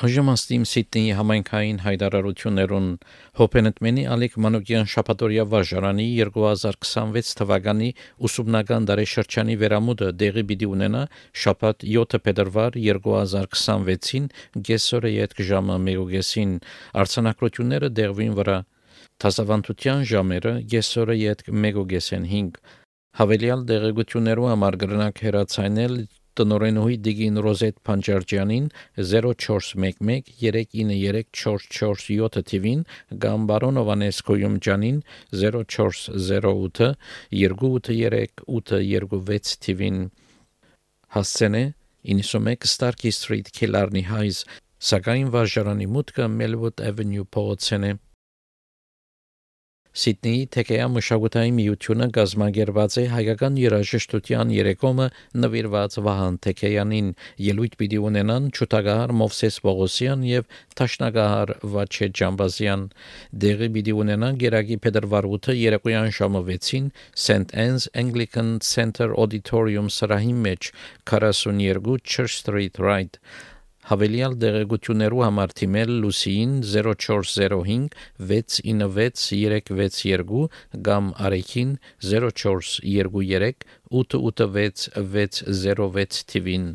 Այժմ Սիդնեի համայնքային հայտարարություններուն Հոփենետմենի Ալիք Մանուկյան շաբաթօրյա վարժարանի 2026 թվականի ուսումնական տարեշրջանի վերամուտը դեղի պիտի ունենա շաբաթ 7 փետրվար 2026-ին գեսօրը յետք ժամը 1:30 արձանագրությունները դեղվին վրա Տասավանդության ժամերը գեսօրը յետք 1:5 Հավելյալ դեղեցություններու համար կրնակ հեռացանել Տնօրենուհի Դիգին Ռոզետ Փանջարջյանին 0411 393 447 թիվին կամ բարոն Հովանես Քոյումջյանին 0408 283 826 թիվին հասցենե 91 Starkey Street Killarney Heights սակայն վարժարանի մուտքը Melwood Avenue փողոցեն է Սիդնեի Թեքեյա մշակութային միությունը գազմագերված է հայկական երաժշտության երեկոմը նվիրված Վահան Թեքեյանին ելույթ պիտի ունենան Չութագահար Մովսես Պողոսյան եւ Թաշնագահար Վաչե Ջամբազյան դեղի պիտի ունենան Գերագի Փետրվար 8-ը երեկոյան ժամը 6-ին St Anne's Anglican Center Auditorium սրահի մեջ 42 Church Street Right Հավելյալ դեղեցություններու համար թիմել Լուսիին 0405 696 362 կամ Արեքին 0423 886 606 թիվին